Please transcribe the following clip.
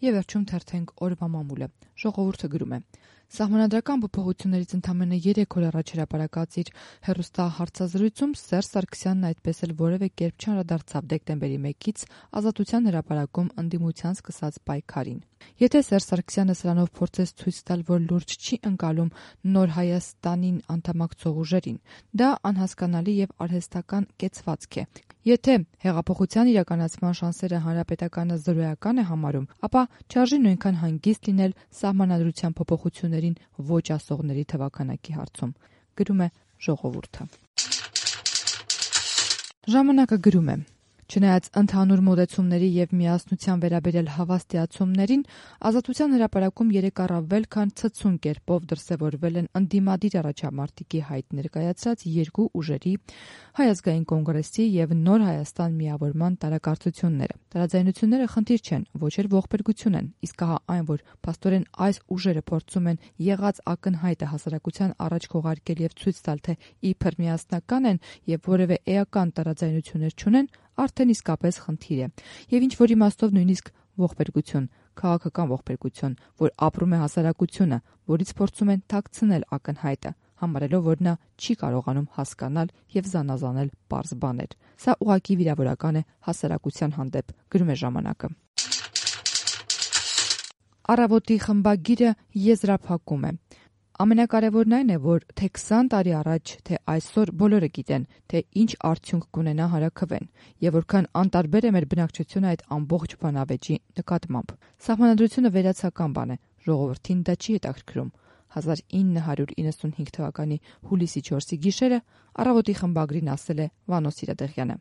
Եվ վերջում թերթենք օրվա մամուլը։ Ժողովուրդը գրում է. Սահմանադրական փոփոխություններից ընդամենը 3 օր առաջ հրապարակած իր հեռուստահարցազրույցում Սերժ Սարգսյանն այդպես էլ որևէ կերպ չանդրադարձավ դեկտեմբերի 1-ից Ազատության հրապարակում ընդդիմության սկսած պայքարին։ Եթե Սերժ Սարգսյանը սրանով փորձեց ցույց տալ, որ լուրջ չի ընկալում Նոր Հայաստանին անդամակցող ուժերին, դա անհասկանալի եւ արհեստական կեցվածք է։ Եթե հեղափոխության իրականացման շանսերը հանրապետականը զրոյական է համարում, ապա չարժի նույնքան հանգիստ լինել սահմանադրության փոփոխություններին ոչ ասողների թվաքանակի հարցում, գրում է Ժողովուրդը։ Ժամանակը գրում է. Չնայած ընդհանուր մոտեցումների եւ միասնության վերաբերյալ հավաստիացումներին, Ազատության հրապարակում 3 առավել քան ցցուն կերպով դրսևորվել են ընդդիմադիր առաջամարտիկի հայտ ներկայացրած 2 ուժերի՝ Հայ ազգային կոնգրեսի եւ Նոր Հայաստան միավորման տարակարծությունները։ Տարաձայնությունները խնդիր չեն, ոչ էլ ողբերգություն են, իսկ ահա այն, որ փաստորեն այս ուժերը փորձում են եղած ակնհայտը հասարակության առաջ քողարկել եւ ցույց տալ, թե իբր միասնական են եւ որևէ էական տարաձայնություններ չունեն, արդեն իսկապես խնդիր է, եւ ինչ որ իմաստով նույնիսկ ողբերգություն, քաղաքական ողբերգություն, որ ապրում է հասարակությունը, որից փորձում են թաքցնել ակնհայտը, համարելով, որ նա չի կարողանում հասկանալ եւ զանազանել պարզ բաներ։ Սա ուղղակի վիրավորական է հասարակության հանդեպ, գրում է Ժամանակը։ Առավոտի խմբագիրը եզրափակում է. Ամենակարևորն այն է, որ թե 20 տարի առաջ, թե այսօր բոլորը գիտեն, թե ինչ արդյունք կունենա հարաքվեն եւ որքան անտարբեր է մեր բնակչությունը այդ ամբողջ բանավեճի նկատմամբ։ Սահմանադրությունը վերացական բան է, ժողովրդին դա չի հետաքրքրում։ 1995 թվականի հուլիսի 4-ի գիշերը Առավոտի խմբագրին ասել է Վանո Սիրադեղյանը։